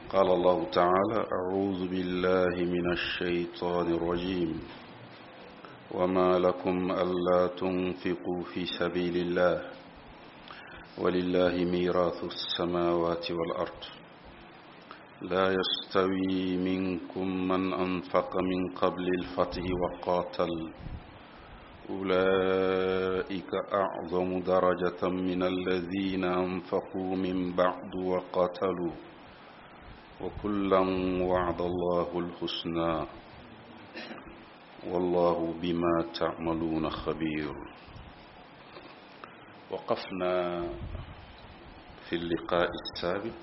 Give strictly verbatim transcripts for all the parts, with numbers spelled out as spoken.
قال الله تعالى: أعوذ بالله من الشيطان الرجيم، وما لكم ألا تنفقوا في سبيل الله ولله ميراث السماوات والأرض لا يستوي منكم من أنفق من قبل الفتح وقاتل أولئك أعظم درجة من الذين أنفقوا من بعد وقاتلوا وكلا وعد الله الحسنى والله بما تعملون خبير. وقفنا في اللقاء السابق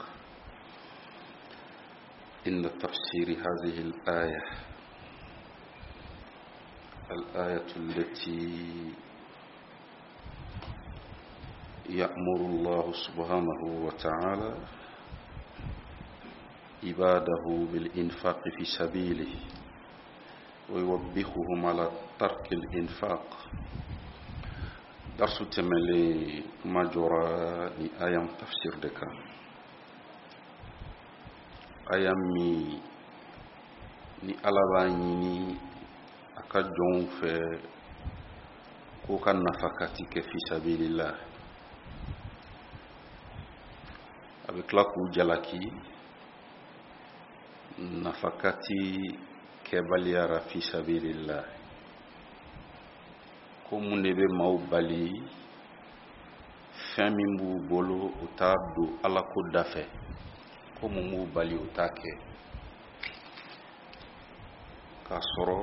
عند تفسير هذه الآية، الآية التي يأمر الله سبحانه وتعالى عباده بالإنفاق في سبيله ويوبخهم على ترك الإنفاق. درس تملي ما جرى لآية تفسير دكا آية مي ni Ala b'a ɲini a ka jɔnw fɛ k'u ka nafakati kɛ fisabilillah, a bɛ tila k'u jalaki nafakati kɛbaliyara fisabilillah. Ko mun de bɛ maaw bali fɛn min b'u bolo u t'a don Ala ko da fɛ, ko mun b'u bali u t'a kɛ, k'a sɔrɔ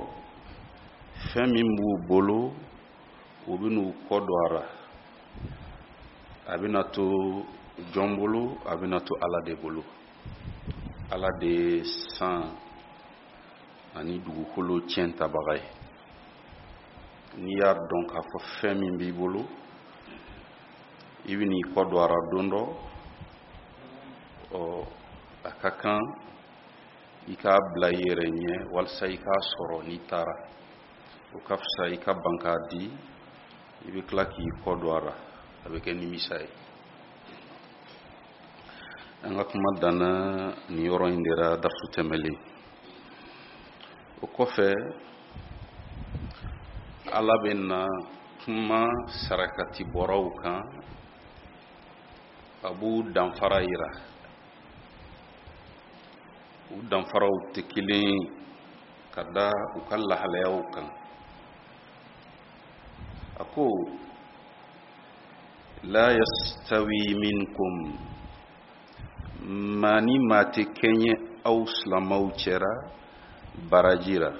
fɛn min b'u bolo u bɛn'u kɔ don a la, a bɛna to jɔn bolo, a bɛna to Ala de bolo. Ala de ye san ani dugukolo tiɲɛ tabaga ye. N'i y'a dɔn k'a fɔ fɛn min b'i bolo i bɛn'i kɔ don a la don dɔ, ɔ a ka kan i k'a bila i yɛrɛ ɲɛ walasa i k'a sɔrɔ n'i taara. O ka fisa i ka ban k'a di, i bɛ tila k'i kɔ don a la, a bɛ kɛ nimisa ye. An ka kuma danna nin yɔrɔ in de la darisu tɛmɛlen. O kɔfɛ Ala bɛ na kuma sarakati bɔraw kan, a b'u danfara yira. U danfaraw tɛ kelen ka da u ka lahalayaw kan. A ko la yastawi minkum, maa ni maa tɛ kɛɲɛ aw silamɛw cɛra baraji la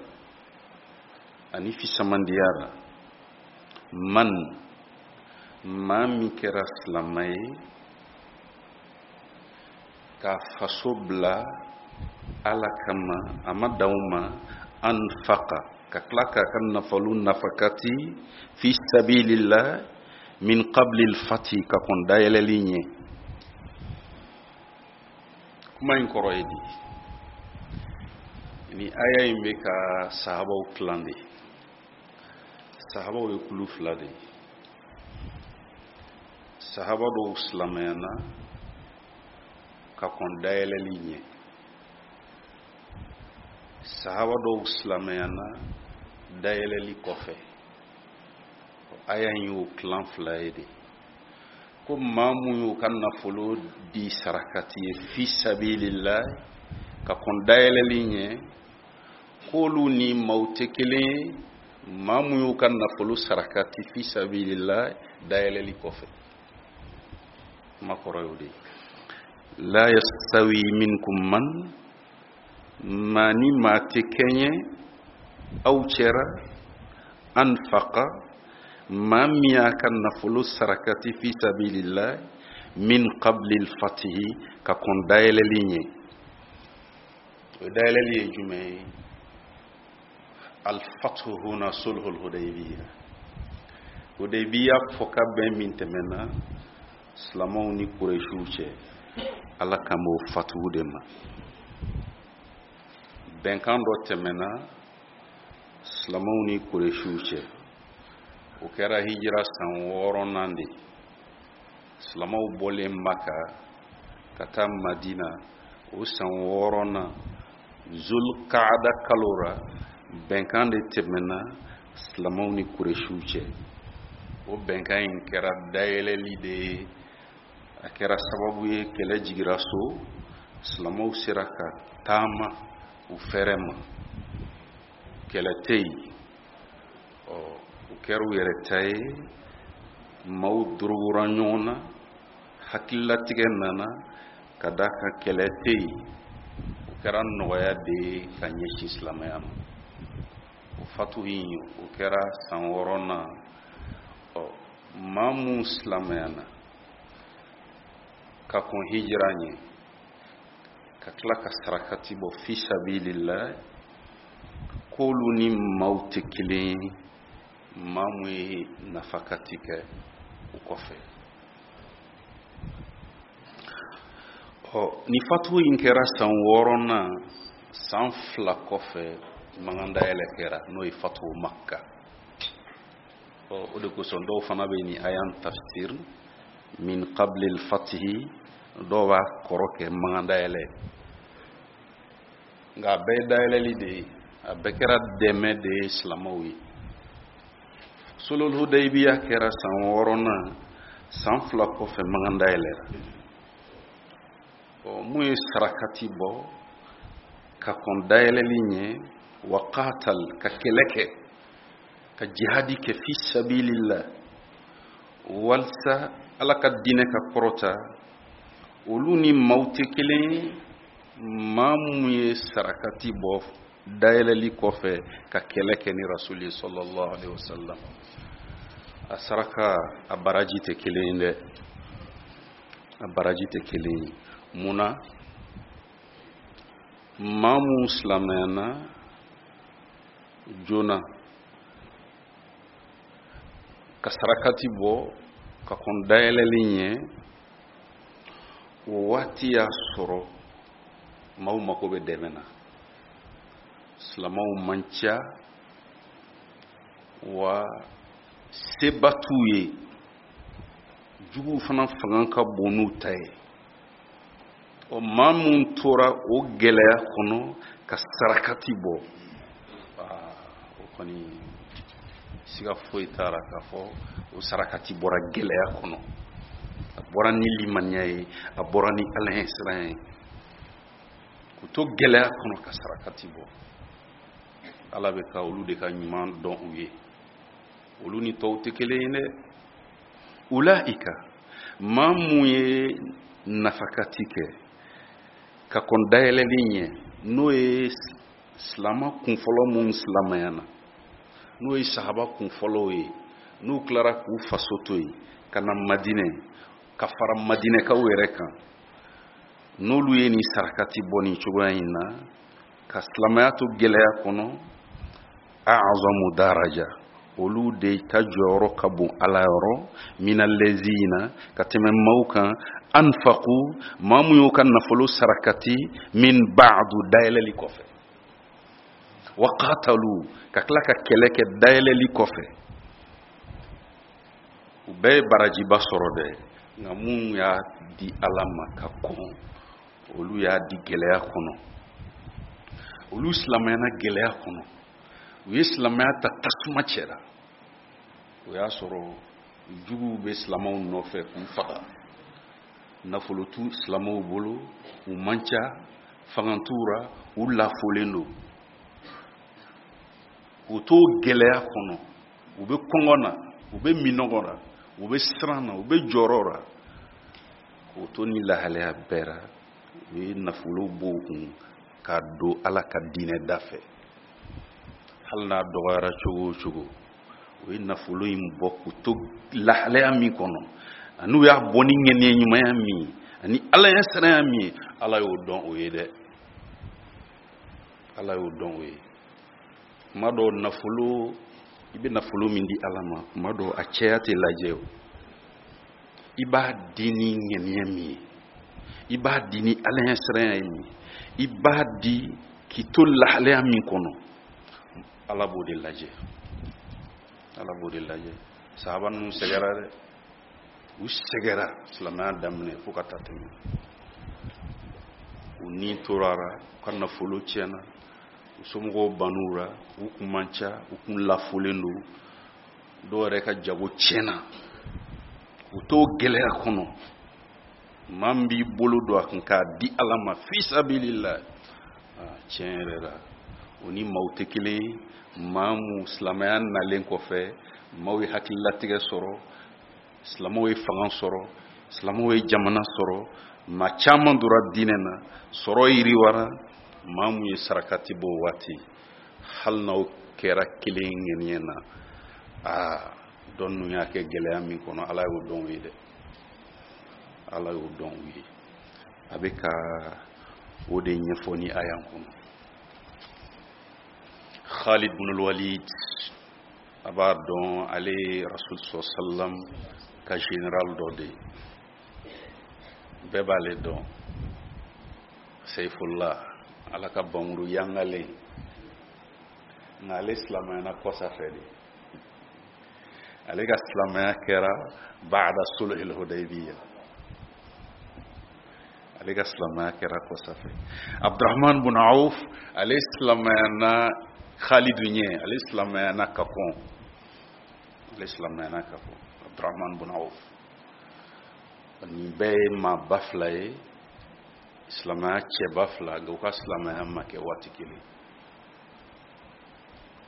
ani fisamandiya la. Man, maa min kɛra silamɛ ye k'a faso bila Ala kama, a ma dan o ma, anfaqa, ka tila k'a ka nafolo nafakati fi sabilillah min qabli al-fathi, ka kɔn dayɛlɛli ɲɛ. Kuma in kɔrɔ ye di? Ni aya in bɛ ka sahabaw tilan de. Sahabaw ye kulu fila de ye. Sahaba dɔw silamɛyana ka kɔn dayɛlɛli ɲɛ, sahaba dɔw silamɛyana dayɛlɛli kɔfɛ. Aya in y'o tilan fila ye de. Ko maa mun y'u ka nafolo di sarakati ye fi sabilillah ka kɔn dayɛlɛli ɲɛ, k'olu ni maaw tɛ kelen ye maa mun y'u ka nafolo sarakati fi sabilillah dayɛlɛli kɔfɛ. Kuma kɔrɔ y'o de ye. La yastawi minkum man, maa ni maa tɛ kɛɲɛ aw cɛra, anfaqa, maa min y'a ka nafolo sarakati fi sabilillah min qabli al-fatihi, ka kɔn dayɛlɛli ɲɛ. O dayɛlɛli ye jumɛn ye? Al-fathu huna sulhul Hudaybiyya. Hudaybiyya fɔ ka bɛn min tɛmɛna silamɛw ni Kuresiw cɛ, Ala kan b'o fatugu de ma. Bɛnkan dɔ tɛmɛna silamɛw ni Kuresiw cɛ, o kɛra hijira san wɔɔrɔnan de. Silamɛw bɔlen Maka ka taa Madina, O san wɔɔrɔnan Zulkaada kalo ra, bɛnkan de tɛmɛna silamɛw ni Kuresiw cɛ. O bɛnkan in kɛra dayɛlɛli de ye, a kɛra sababu ye kɛlɛ jigira so, silamɛw sera ka taama u fɛrɛ ma, kɛlɛ tɛ yen. Ɔ, u kɛra u yɛrɛ ta ye, maaw dorogora ɲɔgɔn na, hakililatigɛ nana ka d'a kan kɛlɛ tɛ yen. O kɛra nɔgɔya de ye ka ɲɛsin silamɛya ma. O fatu in, o kɛra san wɔɔrɔnan. Ɔ, maa mun silamɛyana ka kɔn hijira ɲɛ, ka tila ka sarakati bɔ fi sabilillah, k'olu ni maaw tɛ kelen ye, maa mun ye nafakati kɛ o kɔfɛ. Ɔ, ni fatu in kɛra san wɔɔrɔnan, san fila kɔfɛ mankan dayɛlɛ kɛra, n'o ye fatu Makka. Ɔ, o de kosɔn dɔw fana bɛ nin aya tafsir min qabli al-fatihi, dɔw b'a kɔrɔ kɛ mankan dayɛlɛ, nka a bɛɛ ye dayɛlɛli de ye, a bɛɛ kɛra dɛmɛ de ye silamɛw ye. Sulhul Hudaybiya kɛra san wɔɔrɔnan, san fila kɔfɛ mankan dayɛlɛra. Ɔ, mun ye sarakati bɔ ka kɔn dayɛlɛli ɲɛ, wa qatal, ka kɛlɛ kɛ, ka jihadi kɛ fi sabilillah, walisa Ala ka diinɛ ka kɔrɔta, olu ni maaw tɛ kelen ye. Maa mun ye sarakati bɔ dayɛlɛli kɔfɛ ka kɛlɛ kɛ ni Rasuli sallallahu alaihi wasallam, a saraka a baraji tɛ kelen ye dɛ, a baraji tɛ kelen ye. Mun na? Maa mun silamɛyana joona ka sarakati bɔ ka kɔn dayɛlɛli ɲɛ, o waati y'a sɔrɔ maaw mako bɛ dɛmɛ na, silamɛw man ca, wa seba t'u ye, juguw fana fanga ka bon n'u ta ye. Ɔ, maa mun tora o gɛlɛya kɔnɔ ka sarakati bɔ, o kɔni siga foyi t'a la k'a fɔ o sarakati bɔra gɛlɛya kɔnɔ, a bɔra ni limaniya ye, a bɔra ni Ala ɲɛ siran ye. K'u to gɛlɛya kɔnɔ ka sarakati bɔ, Ala bɛ ka olu de ka ɲuman dɔn u ye, olu ni tɔw tɛ kelen ye dɛ. Ulaika, maa mun ye nafakati kɛ ka kɔn dayɛlɛli ɲɛ, n'o ye silama kunfɔlɔ mun silamɛyana, n'o ye sahaba kunfɔlɔw ye, n'u tilara k'u faso to yen ka na Madinɛ, ka fara Madinɛkaw yɛrɛ kan, n'olu ye nin sarakati bɔ nin cogoya in na ka silamɛya to gɛlɛya kɔnɔ, a'azamu daraja, olu de ta jɔyɔrɔ ka bon Ala yɔrɔ, minallazina, ka tɛmɛ maaw kan, anfaqu, maa mun y'u ka nafolo sarakati, min ba'du, dayɛlɛli kɔfɛ, wa qatalu, ka tila ka kɛlɛ kɛ dayɛlɛli kɔfɛ. U bɛɛ ye barajiba sɔrɔ dɛ, nka mun y'a di Ala ma ka kɔn, olu y'a di gɛlɛya kɔnɔ, olu silamɛyana gɛlɛya kɔnɔ, u ye silamɛya ta tasuma cɛra. O y'a sɔrɔ juguw bɛ silamɛw nɔfɛ k'u faga, nafolo t'u silamɛw bolo, u man ca, fanga t'u ra, u lafolen don. K'u to gɛlɛya kɔnɔ, u bɛ kɔngɔ na, u bɛ minɔgɔ la, u bɛ siran na, u bɛ jɔrɔ la. K'u to ni lahalaya bɛɛ la, u ye nafolo bɔ u kun k'a don Ala ka diinɛ da fɛ. Hali n'a dɔgɔyara cogo o cogo, u ye nafolo in bɔ k'u to lahalaya min kɔnɔ, ani u y'a bɔ ni ŋaniya ɲumanya min ye, ani Ala ɲɛ siranya min ye, Ala y'o dɔn o ye dɛ, Ala y'o dɔn o ye. Kuma dɔw nafolo, i bɛ nafolo min di Ala ma, kuma dɔw a cɛya tɛ lajɛ o. I b'a di ni ŋaniya min ye, i b'a di ni Ala ɲɛ siranya min ye, i b'a di k'i to lahalaya min kɔnɔ, Ala b'o de lajɛ, Ala b'o de lajɛ. Sahaba ninnu sɛgɛra dɛ, u sɛgɛra silamɛya daminɛ fo ka taa tɛmɛ. U ni tora ra, u ka nafolo tiɲɛna, u somɔgɔw bann'u ra, u kun man ca, u kun lafolen don, dɔw yɛrɛ ka jago tiɲɛna, u t'o gɛlɛya kɔnɔ. Maa min b'i bolo don a kun k'a di Ala ma fisabilila, tiɲɛ yɛrɛ la o ni maaw tɛ kelen ye. Maa mun silamɛya nalen kɔfɛ, maaw ye hakililatigɛ sɔrɔ, silamɛw ye fanga sɔrɔ, silamɛw ye jamana sɔrɔ, maa caman donna diinɛ na, sɔrɔ yiriwara. Maa mun ye sarakati bɔ o waati, hali n'aw kɛra kelen ŋaniya na, aa dɔ ninnu y'a kɛ gɛlɛya min kɔnɔ, Ala y'o dɔn u ye dɛ, Ala y'o dɔn u ye. A bɛ ka o de ɲɛfɔ ni aya kɔnɔ. Khalid ibn al-Walid, a b'a dɔn ale ye Rasul sallam ka général dɔ de ye, bɛɛ b'ale dɔn, Seyfullah, Ala ka bamuru yangalen. Nka ale silamɛyana kɔsa fɛ de, ale ka silamɛya kɛra ba'da sulhul Hudaybiyah, ale ka silamɛya kɛra kɔsa fɛ. Abdurrahman bin Auf, ale silamɛyana Khalid ɲɛ, ale silamɛyana ka kɔn, ale silamɛyana ka kɔn Abdurrahman bin Auf. Nin bɛɛ ye maaba fila ye, silamɛya cɛba fila, nka u ka silamɛya ma kɛ waati kelen.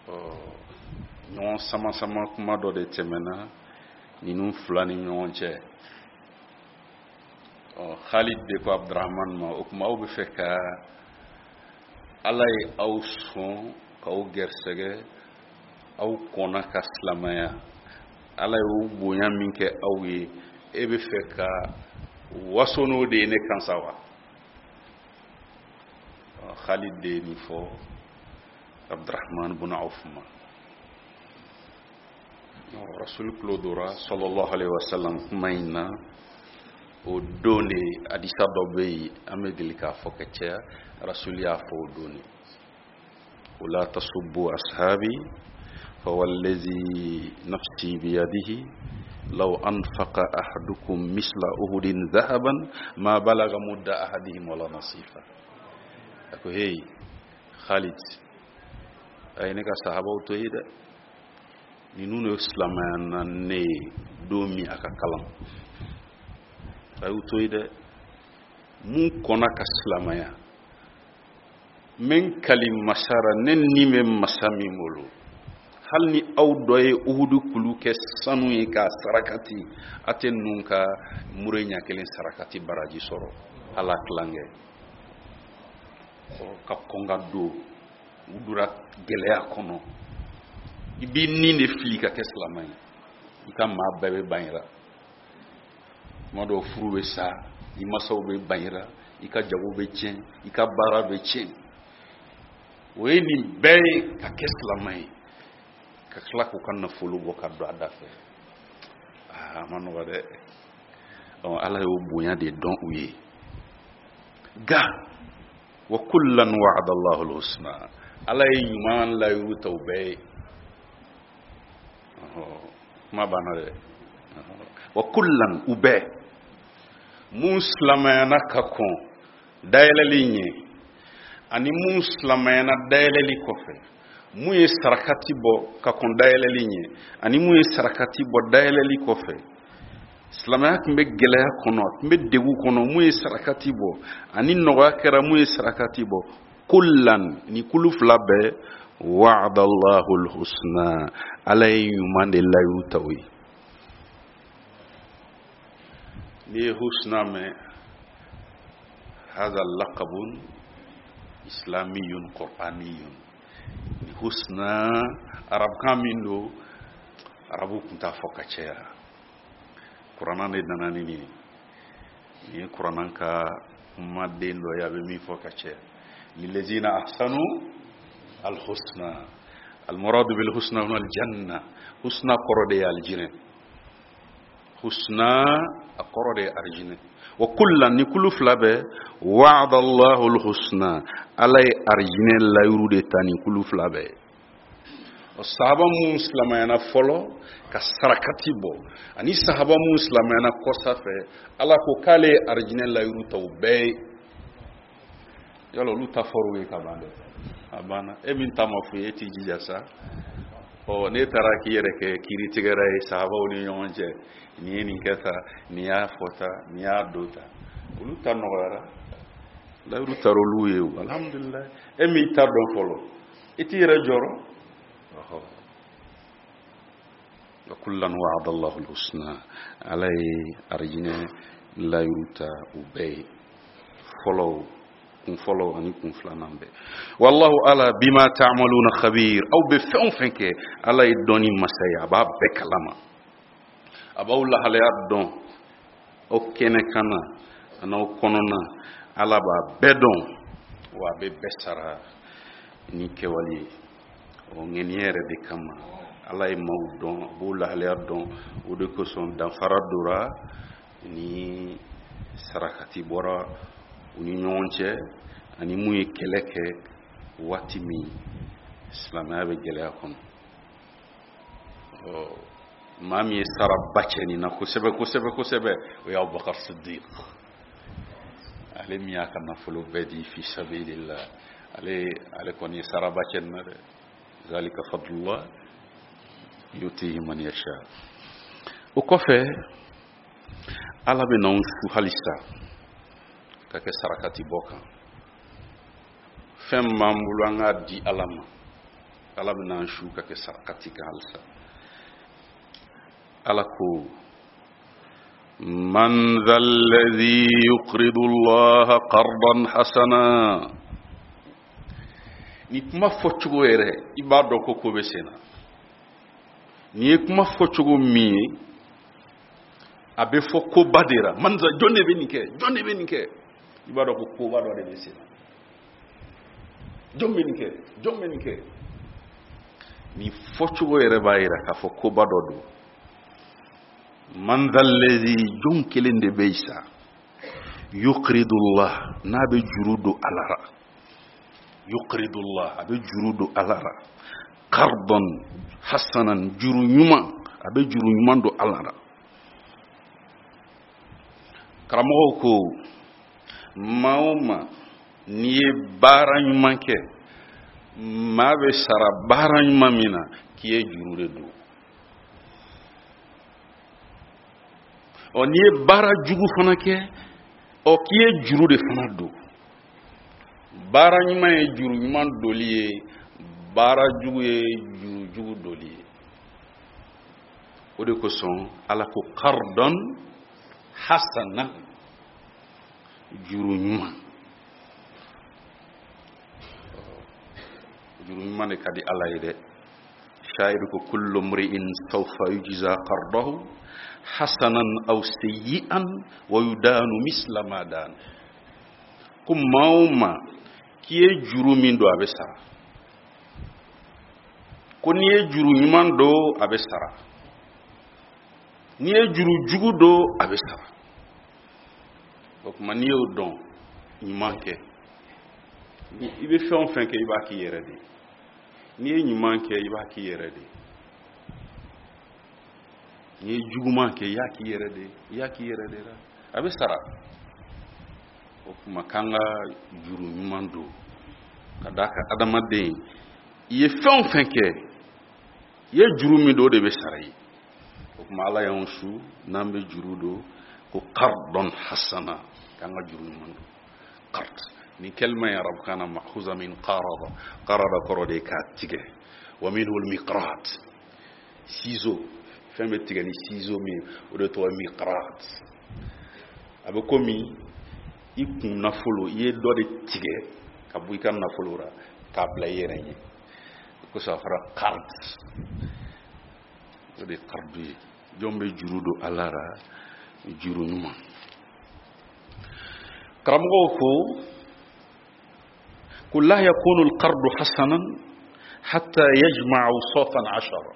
Ɔ ɲɔgɔn sama sama kuma dɔ de tɛmɛna ninnu fila ni ɲɔgɔn cɛ. Ɔ Khalid de ko Abdurrahman ma, o tuma aw bɛ fɛ ka Ala ye aw sɔn k'aw gɛrɛsɛgɛ, aw kɔnna ka silamɛya, Ala y'o bonya min kɛ aw ye, e bɛ fɛ ka waso n'o de ye ne kan sa wa? Khalid de ye nin fɔ Abdurrahman bin Auf ma. Rasul tulo dora sallallahu alaihi wasallam kuma in na. O don de hadisa dɔ bɛ yen, an bɛ deli k'a fɔ ka caya, Rasul y'a fɔ o don de, wala tasubbu ashabi fawallazi nafsi biyadihi law anfaqa ahadukum misla uhudin dhahaban ma balaga mudda ahadihim wala nasifa. A ko hey Khalid, a ye ne ka sahabaw to yen dɛ, ninnu de silamɛya na ne ye don min a ka kalan, a y'u to yen dɛ, mun kɔnna ka silamɛya, n bɛ n kali masara, ne ni bɛ masa min bolo, hali ni aw dɔ ye uhudu kulu kɛ sanu ye k'a sarakati, a tɛ ninnu ka mure ɲɛ kelen sarakati baraji sɔrɔ, ala tilankɛ. Ka kɔn ka don, u donna gɛlɛya kɔnɔ, i b'i ni de fili ka kɛ silamɛ ye, i ka maa bɛɛ bɛ ban i la, tuma dɔw furu bɛ sa, i masaw bɛ ban i la, i ka jago bɛ tiɲɛ, i ka baara bɛ tiɲɛ. O ye nin bɛɛ ye ka kɛ silamɛ ye, ka tila k'u ka nafolo bɔ ka don a da fɛ. Aa a ma nɔgɔ dɛ. Ɔ Ala y'o bonya de dɔn u ye. Nka wa kullan wa'ada Allahu al-husna, Ala ye ɲuman layiru ta u bɛɛ ye. Kuma banna dɛ. Wa kullan, u bɛɛ mun silamɛyana ka kɔn dayɛlɛli ɲɛ, ani mun silamɛyana dayɛlɛli kɔfɛ, mun ye sarakati bɔ ka kɔn dayɛlɛli ɲɛ, ani mun ye sarakati bɔ dayɛlɛli kɔfɛ. Silamɛya tun bɛ gɛlɛya kɔnɔ, a tun bɛ degun kɔnɔ, mun ye sarakati bɔ, ani nɔgɔya kɛra mun ye sarakati bɔ. Kullan, ni kulu fila bɛɛ, wa'ada Allahu al-husna, Ala ye ɲuman de layiru ta u ye. N'i ye husna mɛn, hadha laqabun islamiyun qur'aniyun. Ni husna arabukan min don, arabu tun t'a fɔ ka caya, kuranna de nana ni nin ye. Nin ye kuranna ka kumaden dɔ ye, a bɛ min fɔ ka caya. Lillazina ahsanu alhusna, almuradu bilhusna huna aljanna. Husna kɔrɔ de ye aljinɛ, husna a kɔrɔ de ye arijinɛ. Wa kullan, ni kulu fila bɛɛ, wa'ada Allahu alhusna, Ala ye arijinɛ layiru de ta ni kulu fila bɛɛ. O sahaba mun silamɛyana fɔlɔ ka sarakati bɔ, ani sahaba mun silamɛyana kɔsa fɛ, Ala ko k'ale ye arijinɛ layiru ta u bɛɛ ye. Yala olu ta fɔr'u ye ka ban dɛ, a banna. E min ta ma f'u ye, e t'i jija sa. Ɔ n'e taara k'i yɛrɛ kɛ kiiritigɛra ye sahabaw ni ɲɔgɔn cɛ, nin ye nin kɛ tan, nin y'a fɔ tan, nin y'a don tan, olu ta nɔgɔyara, layiru taara olu ye o, alhamdulilayi. E m'i ta dɔn fɔlɔ, i t'i yɛrɛ jɔrɔ. Ɔhɔ, wa kullan wa'ada Allahu al-husna, Ala ye arijinɛ layiru ta u bɛɛ ye, fɔlɔw, kun fɔlɔ ani kun filanan bɛɛ. Wallahu ala bima ta'maluna khabir, aw bɛ fɛn o fɛn kɛ, Ala ye dɔnni masa ye, a b'a bɛɛ kalama, a b'aw lahalaya dɔn, aw kɛnɛ kan na an'aw kɔnɔna, Ala b'a bɛɛ dɔn, wa a bɛ bɛɛ sara ni kɛwale ye. O ŋaniya yɛrɛ de kama Ala ye maaw dɔn, a b'o lahalaya dɔn, o de kosɔn danfara dora ni sarakati bɔra u ni ɲɔgɔn cɛ, ani mun ye kɛlɛ kɛ waati min silamɛya bɛ gɛlɛya kɔnɔ. Ɔ maa min ye saraba cɛ nin na kosɛbɛ kosɛbɛ kosɛbɛ, o ye Abubakar Sidiq, ale min y'a ka nafolo bɛɛ di fi sabilillah, ale ale kɔni ye saraba cɛ nin na dɛ. Zalika fadlullah yutihi man yasha. O kɔfɛ Ala bɛ n'anw su halisa ka kɛ sarakati bɔ kan. Fɛn min b'an bolo an k'a di Ala ma, Ala bɛ n'an su ka kɛ sarakati kan halisa. Ala ko man dha alladhi yuqridu Allaha qardan hasana. Ni kuma fɔcogo yɛrɛ i b'a dɔn ko ko bɛ sen na. Nin ye kuma fɔcogo min ye, a bɛ fɔ koba de la. Man jɔn de bɛ nin kɛ, jɔn de bɛ nin kɛ, i b'a dɔn ko koba dɔ de bɛ sen na. Jɔn bɛ nin kɛ, jɔn bɛ nin kɛ. Nin fɔcogo yɛrɛ b'a yira k'a fɔ koba dɔ don. Man dhalladhi, jɔn kelen de bɛ yen sa, yuqridullah, n'a bɛ juru don Ala la, yuqridullah, a bɛ juru don Ala la, qardan hasanan, juru ɲuman, a bɛ juru ɲuman don Ala la. Karamɔgɔw ko maa o maa n'i ye baara ɲuman kɛ, maa bɛ sara baara ɲuman min na, k'i ye juru de don. Ɔ n'i ye baara jugu fana kɛ, ɔ k'i ye juru de fana don. Baara ɲuman ye juru ɲuman doli ye, baara jugu ye juru jugu doli ye. O de kosɔn Ala ko qardan hasana, juru ɲuman. Juru ɲuman de ka di Ala ye dɛ. Sha'iru ko kullu mri'in sawfa yujza qardahu hasanan aw sayyi'an wa yudanu misla ma dan. Ko maa o maa k'i ye juru min don, a bɛ sara. Ko n'i ye juru ɲuman don, a bɛ sara. N'i ye juru jugu don, a bɛ sara. O tuma n'i y'o dɔn, ɲuman kɛ. I bɛ fɛn o fɛn kɛ, i b'a k'i yɛrɛ de ye. N'i ye ɲuman kɛ, i b'a k'i yɛrɛ de ye. N'i ye juguman kɛ, i y'a k'i yɛrɛ de ye, i y'a k'i yɛrɛ de la, a bɛ sara. O tuma k'an ka juru ɲuman don, ka d'a kan adamaden, i ye fɛn o fɛn kɛ, i ye juru min don, o de bɛ sara i ye. O tuma Ala y'anw su n'an bɛ juru don, ko qardan hasana, k'an ka juru ɲuman don. Qard, ni kalima ye arabukan na ma'khuza min qarada, qarada kɔrɔ de ye k'a tigɛ. Wa minhu al-miqrat, ciseau, fɛn bɛ tigɛ ni ciseau min ye, o de tɔgɔ ye miqrat. A bɛ komi i kun nafolo, i ye dɔ de tigɛ ka bɔ i ka nafolo la k'a bila i yɛrɛ ɲɛ, o kosɔn a fɔra qard. O de ye qardu ye. Jɔn bɛ juru don Ala la, juru ɲuman. Karamɔgɔw ko ko la yakunu al-qardu hasanan hatta yajma'a awsafan ashara.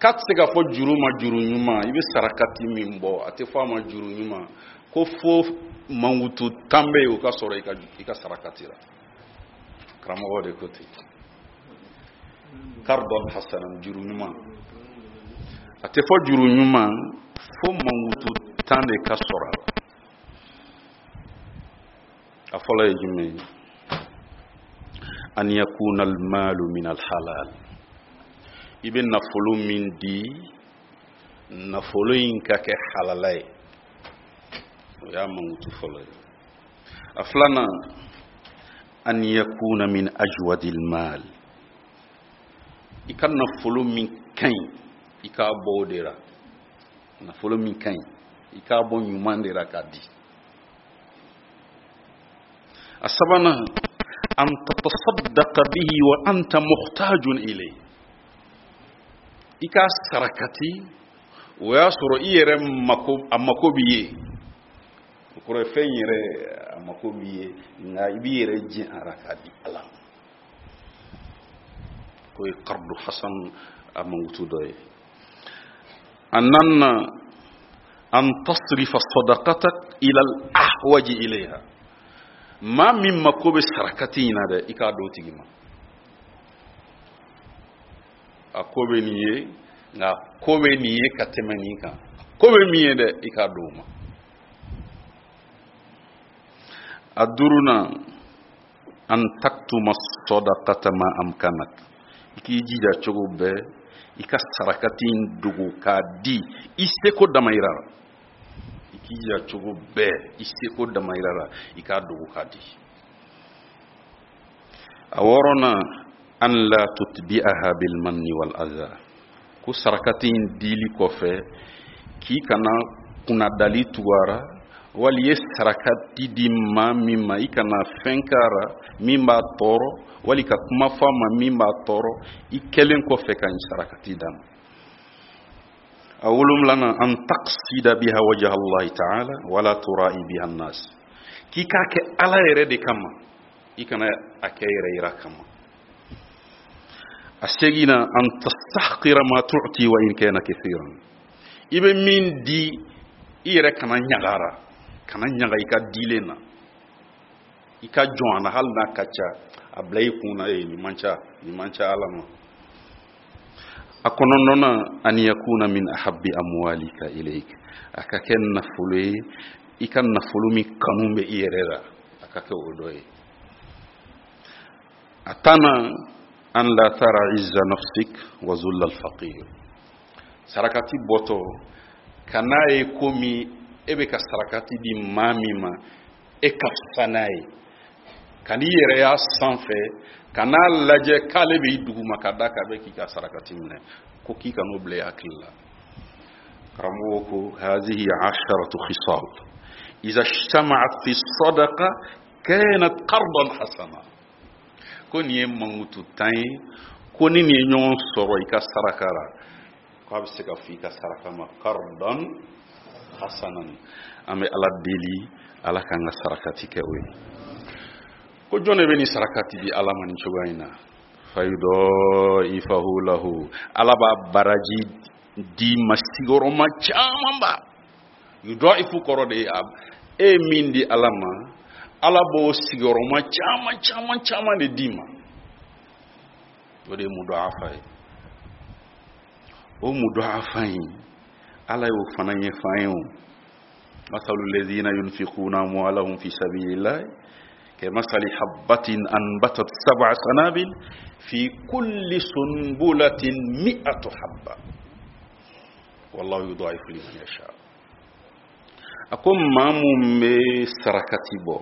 K'a tɛ se ka fɔ juru ma juru ɲuman, i bɛ sarakati min bɔ, a tɛ fɔ a ma juru ɲuman, ko fo mankutu tan bɛ yen o ka sɔrɔ i ka i ka sarakati la. Karamɔgɔw de ko ten. Qardan hasanan, juru ɲuman. A tɛ fɔ juru ɲuman fo mankutu tan de ka sɔrɔ a la. A fɔlɔ ye jumɛn ye? an yakuna almalu min alhalal, i bɛ nafolo min di, nafolo in ka kɛ halala ye. O y'a mankutu fɔlɔ ye. A filanan, an yakuna min ajwadil mal, i ka nafolo min ka ɲi, i k'a bɔ o de la. Nafolo min ka ɲi, i k'a bɔ ɲuman de la k'a di. A sabanan, an tatasaddaqa bihi wa anta muhtajun ilayhi, i k'a sarakati o y'a sɔrɔ i yɛrɛ mako, a mako b'i ye. O kɔrɔ ye fɛn yɛrɛ a mako b'i ye, nka i b'i yɛrɛ jɛn a la k'a di Ala ma. K'o ye qardu hasan a mankutu dɔ ye. A naaninan, an tasrifa sadaqatak ila al-ahwaji ilayha, maa min mako bɛ sarakati in na dɛ, i k'a d'o tigi ma. A ko bɛ nin ye, nka ko bɛ nin ye ka tɛmɛ nin kan. Ko bɛ min ye dɛ, i k'a d'o ma. A duurunan, an taktuma sadaqata ma amkanak, i k'i jija cogo bɛɛ i ka sarakati in dogo k'a di i seko damayira la. I k'i jija cogo bɛɛ i seko damayira la, i k'a dogo k'a di. A wɔɔrɔnan, an la tutbi'aha bil manni wal adha, ko sarakati in dili kɔfɛ k'i kana kunnadali tugu a ra, wali i ye sarakati di maa min ma, i kana fɛn k'a ra min b'a tɔɔrɔ, wali ka kuma fɔ a ma min b'a tɔɔrɔ, i kɛlen kɔfɛ ka nin sarakati d'a ma. A wolonwulanan, an taqsida biha wajha Allahi ta'ala wala tura'i biha an-nas, k'i k'a kɛ Ala yɛrɛ de kama, i kana a kɛ yɛrɛ yira kama. A seginna, an tastahqira ma tu'ti wa in kana kathiran, i bɛ min di i yɛrɛ kana ɲagara, kana ɲaga i ka dilen na, i ka jɔn a na hali n'a ka ca, a bila i kun na, ee nin man ca, nin man ca Ala ma. A kɔnɔntɔnnan, an yakuna min ahabbi amwalika ilayk, a ka kɛ nafolo ye i ka nafolo min kanu bɛ i yɛrɛ la, a ka kɛ o dɔ ye. A tannan, an la tara izza nafsik wa zulla alfaqir, sarakati bɔtɔ kan'a ye komi e bɛ ka sarakati di maa min ma, e ka fisa n'a ye, kan'i yɛrɛ y'a sanfɛ, kan'a lajɛ k'ale b'i duguma ka da k'a bɛ k'i ka sarakati minɛ, ko k'i kan'o bila i hakili la. Karamɔgɔ ko hazihi asharatu khisal iza ijtama'at fi sadaqa kanat qardan hasana, ko nin ye mankutu tan ye, ko ni nin ye ɲɔgɔn sɔrɔ i ka saraka la, k'a bɛ se ka fɔ i ka saraka ma qardan hasanan. An bɛ Ala deli, Ala k'an ka sarakati kɛ o ye. Ko jɔn de bɛ nin sarakati di Ala ma nin cogoya in na? Fayudaifahu lahu, Ala b'a baraji di ma sigiyɔrɔma camanba. Yudaifu kɔrɔ de ye e ye min di Ala ma, Ala b'o sigiyɔrɔma caman caman caman de d'i ma. O de ye mudaafa ye. O mudaafa in, Ala y'o fana ɲɛfɔ an ye o. Masalu lazina yunfiquna amwalahum fi sabilillahi kamasali habbatin anbatat sab'a sanabil fi kulli sunbulatin mi'atu habba wallahu yudaifu liman yasha. A ko maa mun bɛ sarakati bɔ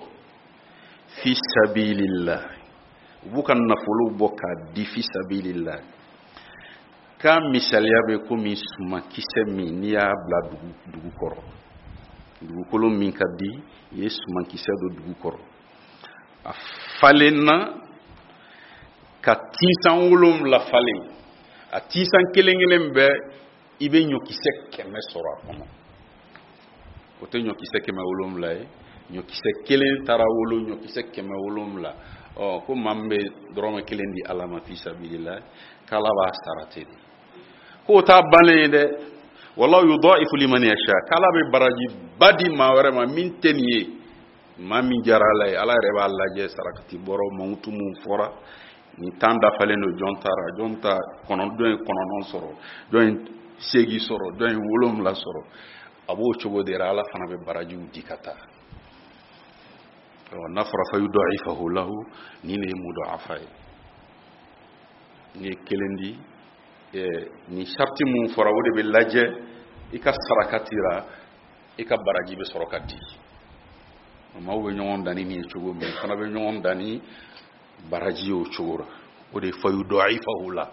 fi sabilillah, u b'u ka nafolo bɔ k'a di fi sabilillah, k'a misaliya bɛ komi sumankisɛ min n'i y'a bila dugu dugu kɔrɔ, dugukolo min ka di, i ye sumankisɛ don dugu kɔrɔ, a falenna ka tinsan wolonwula falen, a tinsan kelen kelen bɛɛ i bɛ ɲɔkisɛ kɛmɛ sɔrɔ a kɔnɔ. O tɛ ɲɔkisɛ kɛmɛ wolonwula ye, ɲɔkisɛ kelen taara wolo ɲɔkisɛ kɛmɛ wolonwula. Ɔ ko maa min bɛ dɔrɔmɛ kelen di Ala ma fi sabilillah, k'Ala b'a sara ten de. K'o t'a bannen ye dɛ, wallahu yudaifu liman yasha, k'Ala bɛ baraji ba di maa wɛrɛ ma min tɛ nin ye, maa min diyara Ala ye. Ala yɛrɛ b'a lajɛ sarakati bɔrɔ mankutu mun fɔra nin tan dafalen don, jɔn taara, jɔn ta kɔnɔ, jɔn ye kɔnɔntɔn sɔrɔ, jɔn ye seegin sɔrɔ, jɔn ye wolonwula sɔrɔ. A b'o cogo de la, Ala fana bɛ barajiw di ka taa. N'a fɔra fa yudaifahu lahu, nin de ye mudaafa ye. N'i ye kelen di, nin sariti mun fɔra o de bɛ lajɛ i ka sarakati la, i ka baraji bɛ sɔrɔ ka di. Maaw bɛ ɲɔgɔn dan ni nin ye cogo min, fana bɛ ɲɔgɔn dan ni baraji ye o cogo la. O de ye fa yudaifahu la.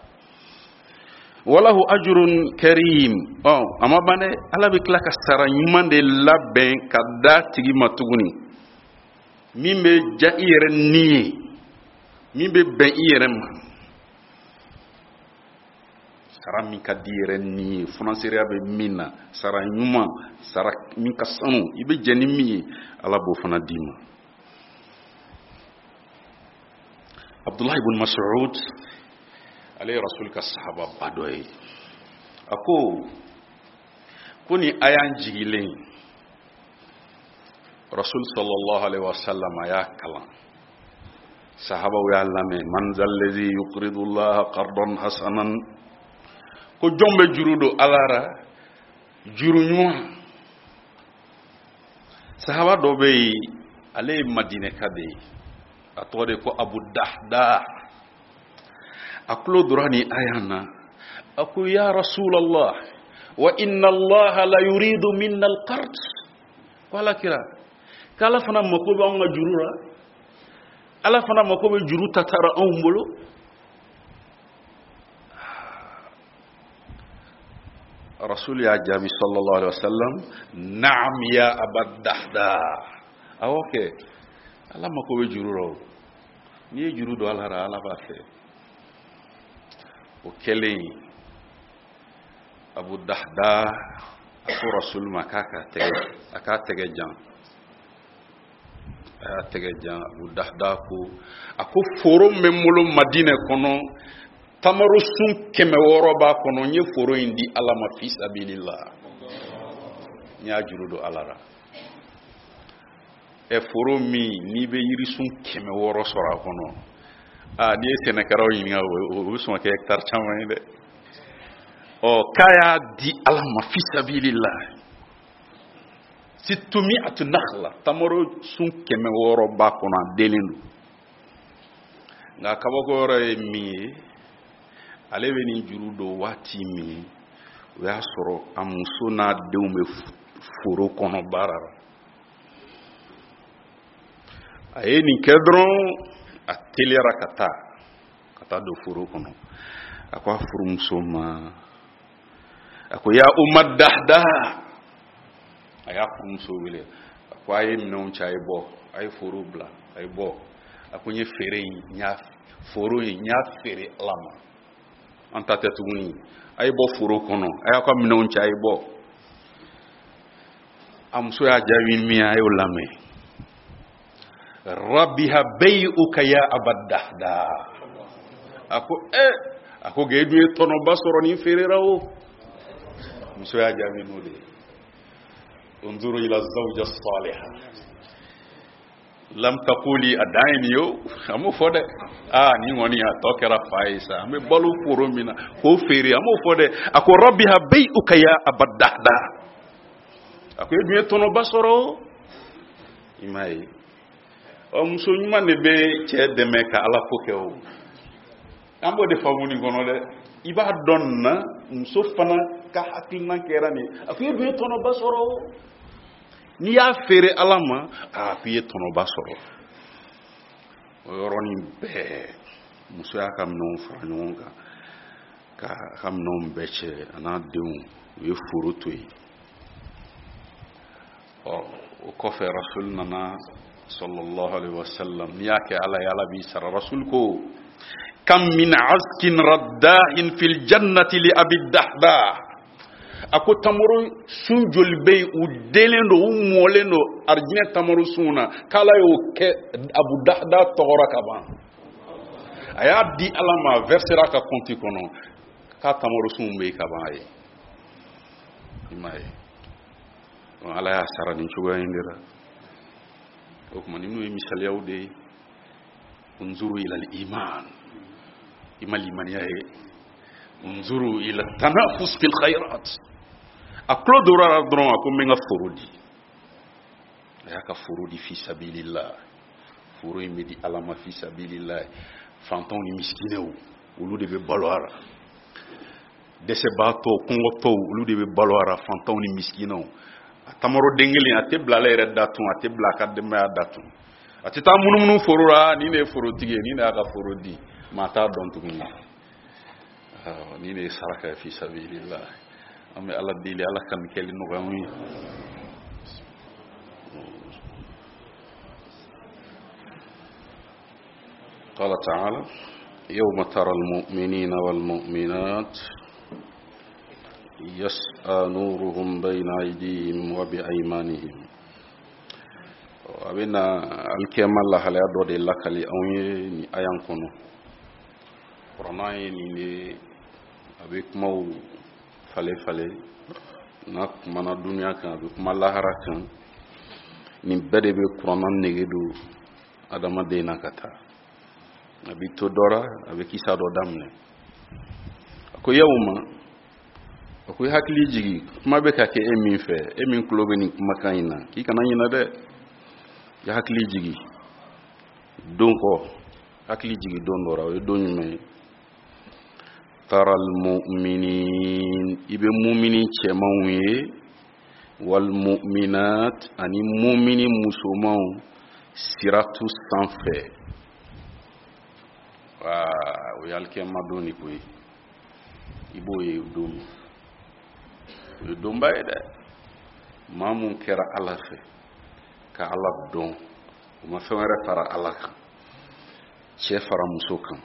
Walahu ajrun karim. Ɔ, a ma ban dɛ, Ala bɛ tila ka sara ɲuman de labɛn ka d'a tigi ma tuguni, min bɛ diya i yɛrɛ ni ye, min bɛ bɛn i yɛrɛ ma. Sara min ka di i yɛrɛ ni ye, funasereya bɛ min na, sara ɲuman, sara min ka sanu, i bɛ jɛn ni min ye, Ala b'o fana d'i ma. Abdullah ibn Mas'ud, ale ye Rasul ka sahaba ba dɔ ye. A ko ko ni aya jigilen, Rasul sallallahu alaihi wasallam a y'a kalan, sahabaw y'a lamɛn. Man zallazi yuqridu Allah qardan hasanan, ko jɔn bɛ juru don Ala ra juru ɲuman. Sahaba dɔ bɛ yen, ale ye Madinɛka de ye, a tɔgɔ de ko Abu Dahda. A tulo dora ni aya na, a ko ya Rasulallah, wa inna Allah la yuridu minna al-qard. Ko Ala kira, k'Ala fana mako bɛ anw ka juru la, Ala fana mako bɛ juru tatara anw bolo. Rasul y'a jaabi sallallahu alaihi wasallam, naam ya Aba Dahda. Awɔ kɛ, Ala mako bɛ juru la o. N'i ye juru don Ala la, Ala b'a fɛ. O kɛlen, Abu Dahda a ko Rasul ma k'a k'a tɛgɛ, a k'a tɛgɛ jan. A y'a tɛgɛ jan. Abu Dahda ko, a ko foro min bɛ n bolo Madinɛ kɔnɔ, tamaro sun kɛmɛ wɔɔrɔ b'a kɔnɔ, n ye foro in di Ala ma fi sabilillah, n y'a juru don Ala la. Ɛ, foro min n'i bɛ yirisun kɛmɛ wɔɔrɔ sɔrɔ a kɔnɔ, aa, n'i ye sɛnɛkɛlaw ɲininka, o bɛ sɔn ka kɛ hectare caman ye dɛ. Ɔ, k'a y'a di Ala ma fi sabilillah, sittumi'atu nakhla, tamaro sun kɛmɛ wɔɔrɔ b'a kɔnɔ, a denlen don. Nka kabako yɔrɔ ye min ye, ale bɛ nin juru don waati min, o y'a sɔrɔ a muso n'a denw bɛ foro kɔnɔ baara la. A ye nin kɛ dɔrɔn, a teliyara ka taa, ka taa don foro kɔnɔ. A ko a furumuso ma, a ko ya Umma Dahda. A y'a furumuso wele, a ko a ye minɛnw cɛ, a ye bɔ, a ye foro bila, a ye bɔ. A ko n ye feere in, n y'a foro in, n y'a feere Ala ma, an ta tɛ tuguni. A ye bɔ foro kɔnɔ, a y'a ka minɛnw cɛ, a ye bɔ. A muso y'a jaabi min ye, a y'o lamɛn. Rabiha bay'uka ya Aba Dahda. A ko eh, a ko g'e dun ye tɔnɔba sɔrɔ nin feere la o. Muso y'a jaabi n'o de ye. Unzuru ila zawja salihah lam taquli, a dan ye nin ye o, a m'o fɔ dɛ. Aa, nin kɔni a tɔ kɛra fa ye sa, an bɛ balo foro min na k'o feere, an m'o fɔ dɛ. A ko rabiha bay'uka ya Aba Dahda. A ko e dun ye tɔnɔba sɔrɔ o. I m'a ye, ɔ, muso ɲuman de bɛ cɛ dɛmɛ ka Ala ko kɛ o. An b'o de faamu nin kɔnɔ dɛ. I b'a dɔn nin na, muso fana ka hakilina kɛra nin ye. A ko e dun ye tɔnɔba sɔrɔ o. N'i y'a feere Ala ma, a ko i ye tɔnɔba sɔrɔ. O yɔrɔnin bɛɛ, muso y'a ka minɛnw fara ɲɔgɔn kan, k'a ka minɛnw bɛɛ cɛ, a n'a denw, u ye foro to yen. Ɔ, o kɔfɛ Rasul nana sallallahu alaihi wasallam. N'i y'a kɛ Ala ye, Ala b'i sara. Rasul ko kam min azkin raddahin fil jannati li Abi Dahda. A ko tamaro sun joli bɛ yen, u denlen don, u mɔlen don arijinɛ tamaro sun na, k'Ala y'o kɛ Abu Dahda tɔgɔra ka ban. A y'a di Ala ma, a versera a ka compte kɔnɔ, k'a tamaro sun bɛ yen ka ban a ye. I m'a ye, Ala y'a sara nin cogoya in de la. O tuma ninnu ye misaliyaw de ye. Unzuru ila al-iman, i ma limaniya ye. Unzuru ila tanafus fil khairat. A tulo dora la dɔrɔn, a ko n bɛ n ka foro di. A y'a ka foro di fi sabilillah. Foro in bɛ di Ala ma fi sabilillah. Fantanw ni misikinɛw olu de bɛ balo a la. Dɛsɛbaatɔw, kɔngɔtɔw olu de bɛ balo a la, fantanw ni misikinɛw. A tamaro den kelen a tɛ bila ale yɛrɛ da tun, a tɛ bila a ka denbaya da tun. A tɛ taa munumunu foro la, nin de ye forotigi ye, nin de y'a ka foro di, maa t'a dɔn tuguni. Nin de ye saraka ye fi sabilillah. An bɛ Ala deli, Ala ka nin kɛli nɔgɔya anw ye. قال تعالى يوم ترى المؤمنين والمؤمنات يسعى نورهم بين أيديهم وبأيمانهم. A bɛna alikiyama lahalaya dɔ de lakali anw ye nin aya kɔnɔ. Kuranna ye nin de, a bɛ kumaw falen falen, n'a kumana duniya kan, a bɛ kuma lahara kan. Nin bɛɛ de bɛ kuranna nege don adamaden na ka taa. A bɛ to dɔ la, a bɛ kisa dɔ daminɛ. A ko yawma, a ko i hakili jigi, kuma bɛ ka kɛ e min fɛ, e min tulo bɛ nin kumakan in na, k'i kana ɲinɛ dɛ. I hakili jigi don kɔ, hakili jigi don dɔ la, o ye don jumɛn ye? Taral mu'minin, i bɛ mumini cɛmanw ye, wal mu'minat, ani mumini musomanw siratu sanfɛ. O ye alikiyama don de ko ye. I b'o ye don min, o ye donba ye dɛ. Maa mun kɛra Ala fɛ ka Ala dɔn, o ma fɛn wɛrɛ fara Ala kan, cɛ fara muso kan,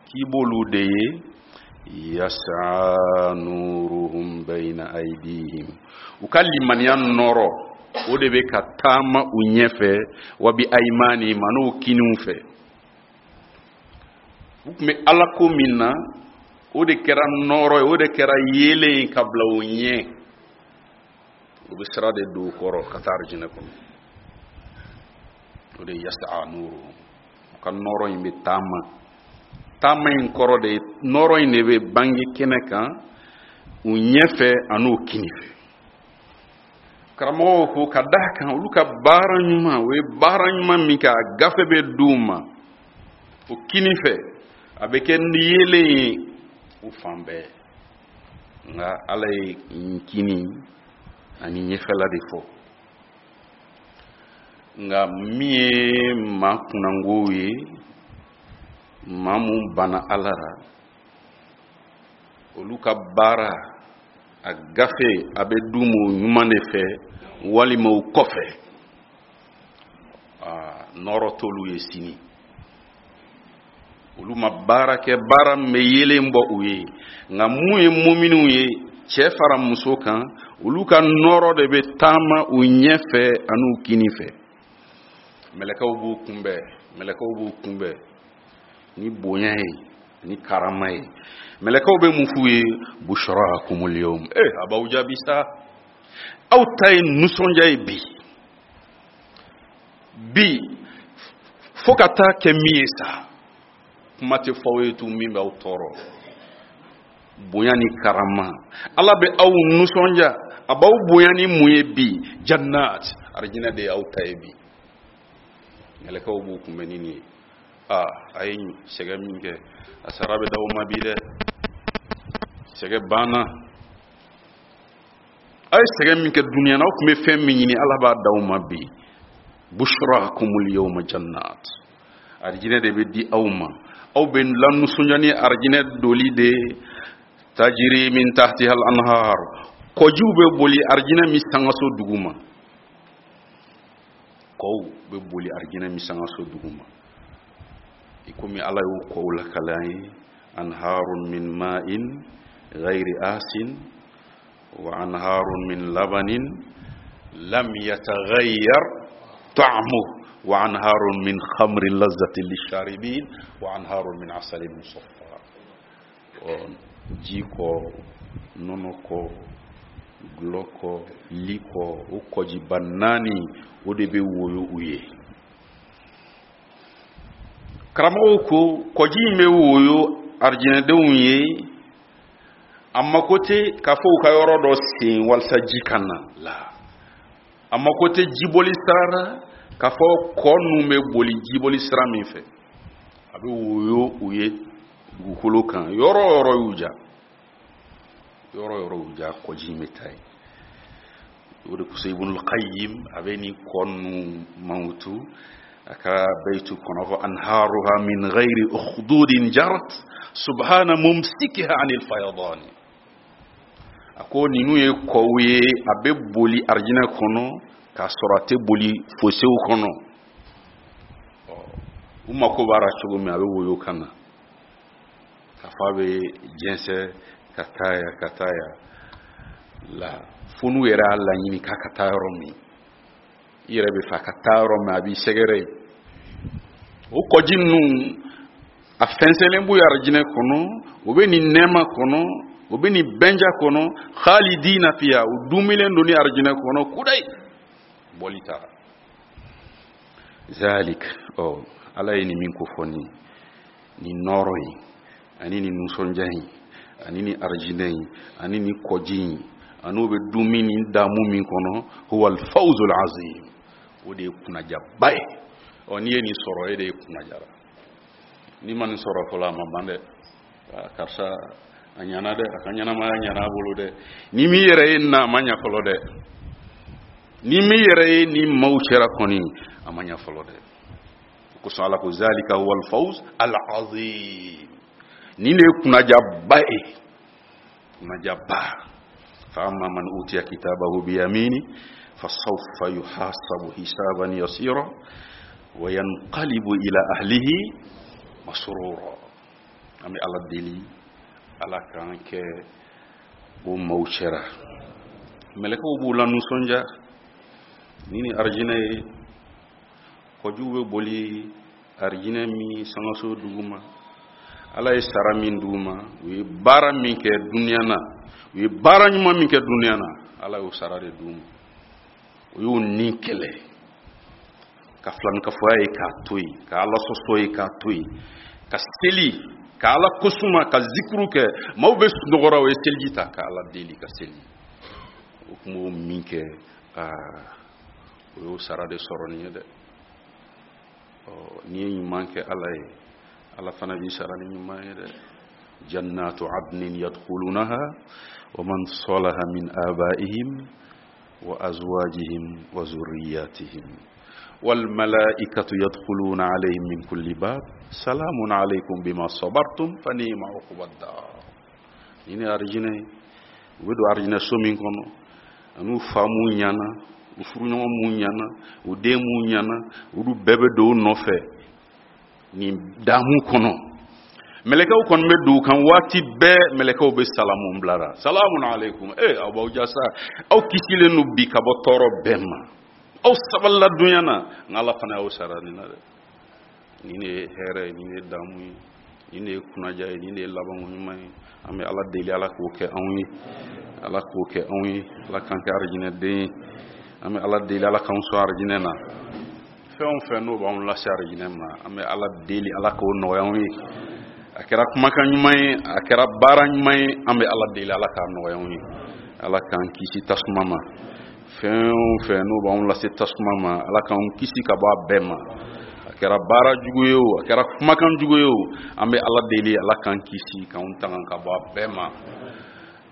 k'i b'olu de ye. Yas'a nuruhum bayna aydihim, u ka limaniya nɔrɔ o de bɛ ka taama u ɲɛfɛ, wa bi aymanihim, an'u kiniw fɛ. U tun bɛ Ala ko min na, o de kɛra nɔrɔ ye, o de kɛra yeelen ye ka bila u ɲɛ. U bɛ sira de don u kɔrɔ ka taa arijinɛ kɔnɔ. O de ye yas'a nuruhum, u ka nɔrɔ in bɛ taama. Taama in kɔrɔ de ye, nɔrɔ in de bɛ bange kɛnɛ kan u ɲɛfɛ an'u kini fɛ. Karamɔgɔw ko ka d'a kan olu ka baara ɲuman, o ye baara ɲuman min kɛ, a gafe bɛ d'u ma o kini fɛ, a bɛ kɛ yeelen ye u fan bɛɛ. Nka Ala ye kini ani ɲɛfɛla de fɔ. Nka min ye maa kunnangow ye, maa mun banna Ala la, olu ka baara a gafe a bɛ d'u ma o ɲuman de fɛ walima o kɔfɛ. Nɔrɔ t'olu ye sini. Olu ma baara kɛ, baara min bɛ yeelen bɔ u ye. Nka mun ye muminiw ye, cɛ fara muso kan, olu ka nɔrɔ de bɛ taama u ɲɛfɛ an'u kini fɛ. Mɛlɛkɛw b'u kunbɛn, mɛlɛkɛw b'u kunbɛn ni bonya ye, ni karama ye. Mɛlɛkɛw bɛ mun f'u ye? Bushrakumul yawm. Eh, a b'aw jaabi sa, aw ta ye nisɔndiya ye bi. Bi fo ka taa kɛ min ye sa, kuma tɛ fɔ aw ye tun min b'aw tɔɔrɔ. Bonya ni karama, Ala bɛ aw nisɔndiya, a b'aw bonya ni mun ye bi? Jannat, arijinɛ de y'aw ta ye bi. Mɛlɛkɛw b'u kunbɛn ni nin ye. Aa, a ye sɛgɛn min kɛ, a sara bɛ d'aw ma bi dɛ. Sɛgɛn banna. A ye sɛgɛn min kɛ duniya na, aw tun bɛ fɛn min ɲini, Ala b'a d'aw ma bi. Bushrakumul yawma jannat, arijinɛ de bɛ di aw ma. Aw bɛ lanisɔndiya ni arijinɛ doli de ye. Tajiri min tahtiha al-anhar, kɔjiw bɛ boli arijinɛ min sangaso duguma. Kɔw bɛ boli arijinɛ min sangaso duguma. I komi Ala y'o kɔw lakale an ye, anharun min ma'in ghayri asin wa anharun min labanin lam yataghayyar ta'muhu wa anharun min khamrin lazzatin lisharibin wa anharun min asalin musaffa. Ji kɔ, nɔnɔ kɔ, gulɔ kɔ, li kɔ, o kɔjiba naani o de bɛ woyo u ye. Karamɔgɔw ko kɔji in bɛ woyo arijinɛdenw ye, a mako tɛ k'a fɔ u ka yɔrɔ dɔ sen walasa ji ka na la, a mako tɛ jiboli sira la K'a fɔ kɔ ninnu bɛ boli jiboli sira min fɛ, a bɛ woyo u ye dugukolo kan, yɔrɔ o yɔrɔ y'u ja, yɔrɔ o yɔrɔ y'u ja, kɔji in bɛ taa yen. O de kosɔn Ibnul Qayyim a bɛ nin kɔ ninnu mankutu a ka bayitu kɔnɔ, fɔ anharuha min ghayri ukhdudin jarat subhana mumsikiha anil fayadani. A ko ninnu ye kɔw ye, a bɛ boli arijinɛ kɔnɔ k'a sɔrɔ a tɛ boli fosew kɔnɔ. U mako b'a la cogo min, a bɛ woyo ka na, k'a fɔ a bɛ jɛnsɛn ka taa yan ka taa yan la, fo n'u yɛrɛ y'a laɲini k'a ka taa yɔrɔ min, i yɛrɛ bɛ fɛ a ka taa yɔrɔ min, a b'i sɛgɛrɛ yen. O kɔji ninnu a fɛnsɛnlen b'u arijinɛ kɔnɔ, u bɛ nin nɛɛma kɔnɔ, u bɛ nin bɛnja kɔnɔ, khalidina fiha, u dumilen don ni arijinɛ kɔnɔ kudayi, bɔli t'a la. Zalik, ɔ Ala ye nin min ko fɔ nin nin nɔɔrɔ in ani nin nisɔndiya in ani nin arijinɛ in ani nin kɔji in ani u bɛ dun min nin damu min kɔnɔ, huwa alfawzul azim, o de ye kunnajaba ye. Ɔ n'i ye nin sɔrɔ, e de ye kunnajara. N'i ma nin sɔrɔ fɔlɔ, a ma ban dɛ. Karisa a ɲana dɛ, a ka ɲɛnamaya ɲana a bolo dɛ. Ni m'i yɛrɛ ye nin na, a ma ɲa fɔlɔ dɛ. Ni m'i yɛrɛ ye nin maaw cɛra kɔni, a ma ɲa fɔlɔ dɛ. O kosɔn Ala ko zalika huwa alfawz alazim, nin de ye kunnajaba ye, kunnajaba. Fa amma man utiya kitabahu biyamini fasawfa yuhasabu hisaban yasira wa yanqalibu ila ahlihi masrura. An bɛ Ala deli, Ala k'an kɛ o maaw cɛra. Mɛlɛkɛw b'u la nisɔndiya ni ni arijinɛ ye, kɔjuw bɛ boli arijinɛ min sangaso duguma. Ala ye sara min d'u ma, u ye baara min kɛ duniya na, u ye baara ɲuman min kɛ duniya na, Ala y'o sara de d'u ma. U y'u ni kɛlɛ ka filankafoya ye k'a to yen, ka Ala sɔsɔ ye k'a to yen, ka seli ka Ala kosuma, ka zikuru kɛ. Maaw bɛ sunɔgɔra, u ye seliji ta ka Ala deli ka seli. O tun b'o min kɛ, aa o y'o sara de sɔrɔ nin ye dɛ. Ɔ n'i ye ɲuman kɛ Ala ye, Ala fana b'i sara ni ɲuman ye dɛ. Jannatu adnin yadkhulunaha wa man salaha min abaihim wa azwajihim wa zurriyatihim wal malaikatu yadkhuluna alayhim min kulli bab salamun alaykum bima sabartum fa ni'ma uqbad dar. Ni ne arijinɛ ye, u bɛ don arijinɛ so min kɔnɔ, an'u fa mun ɲana, u furuɲɔgɔn mun ɲana, u den mun ɲana, olu bɛɛ bɛ don u nɔfɛ nin damu kɔnɔ. Mɛlɛkɛw kɔni bɛ don u kan waati bɛɛ, mɛlɛkɛw bɛ salamu bilara, salamun aleykum, ee aw b'aw jasa, aw kisilen don bi ka bɔ tɔɔrɔ bɛɛ ma, aw sabalila dunya na, nka Ala fana y'aw sara nin na dɛ. Nin de ye hɛrɛ ye, nin de ye damu ye, nin de ye kunnaja ye, nin de ye labanko ɲuman ye. An bɛ Ala deli, Ala k'o kɛ anw ye, Ala k'o kɛ anw ye, Ala k'an kɛ arijinɛ den ye. An bɛ Ala deli, Ala k'anw sɔn arijinɛ na. Fɛn o fɛn n'o b'anw lase arijinɛ ma, an bɛ Ala deli, Ala k'o nɔgɔya anw ye. A kɛra kumakan ɲuman ye, a kɛra baara ɲuman ye, an bɛ Ala deli, Ala k'a nɔgɔya anw ye. Ala k'an kisi tasuma ma. Fɛn o fɛn n'o b'anw lase tasuma ma, Ala k'anw kisi ka bɔ a bɛɛ ma. A kɛra baara jugu ye o, a kɛra kumakan jugu ye o, an bɛ Ala deli, Ala k'an kisi k'anw tanga ka bɔ a bɛɛ ma.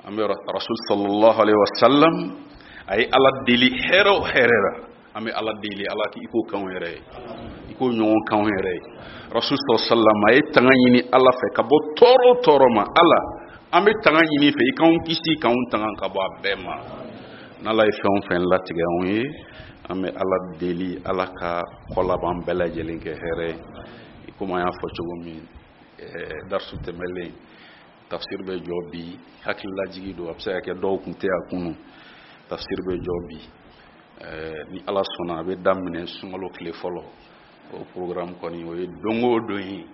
An bɛ Rasul sallallahu alaihi wa sallam, a ye Ala deli hɛrɛ o hɛrɛ la, an bɛ Ala deli, Ala k'i k'o k'anw yɛrɛ ye, i k'o ɲɔgɔn k'anw yɛrɛ ye. Rasul sallallahu alaihi wa sallam, a ye tanga ɲini Ala fɛ ka bɔ tɔɔrɔ o tɔɔrɔ ma. Ala, an bɛ tanga ɲini fɛ, i k'anw kisi k'anw tanga ka bɔ a bɛɛ ma. N'Ala ye fɛn o fɛn latigɛ anw ye, an bɛ Ala deli, Ala ka kɔlaban bɛɛ lajɛlen kɛ hɛrɛ ye. I komi an y'a fɔ cogo min, ɛɛ darisu tɛmɛlen, tafsir bɛ jɔ bi, hakililajigi don, a bɛ se ka kɛ dɔw kun tɛ a kunu. Tafsir bɛ jɔ bi, ɛɛ ni Ala sɔnna a bɛ daminɛ sunkalo tile fɔlɔ. O programme kɔni o ye don o don ye,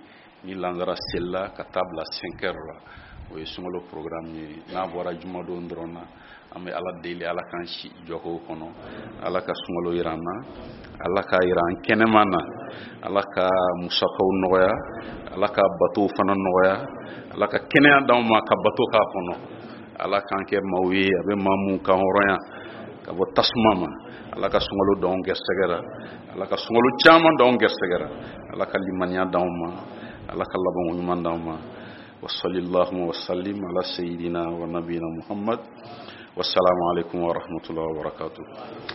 ni lansara selila ka taa bila cinq heures la, o ye sunkalo programme ye. N'a bɔra jumadon dɔrɔn na, an bɛ Ala deli, Ala k'an si jɔkow kɔnɔ, Ala ka sunkalo yira an na, Ala k'a yira an kɛnɛma na, Ala ka musakaw nɔgɔya, Ala ka batow fana nɔgɔya, Ala ka kɛnɛya d'anw ma ka bato k'a kɔnɔ, Ala k'an kɛ maaw ye a bɛ maa mun kan hɔrɔnya, Ka bɔ tasuma ma. Ala ka sunkalo d'anw gɛrɛsɛgɛ la. Ala ka sunkalo caman d'anw gɛrɛsɛgɛ la. Ala ka limaniya d'anw ma. Ala ka labanko ɲuman d'anw ma. Wa sallallahu wa sallim ala sayyidina wa nabiyina Muhammad. Wassalamu alaikum wa rahmatullahi wa barakatuh.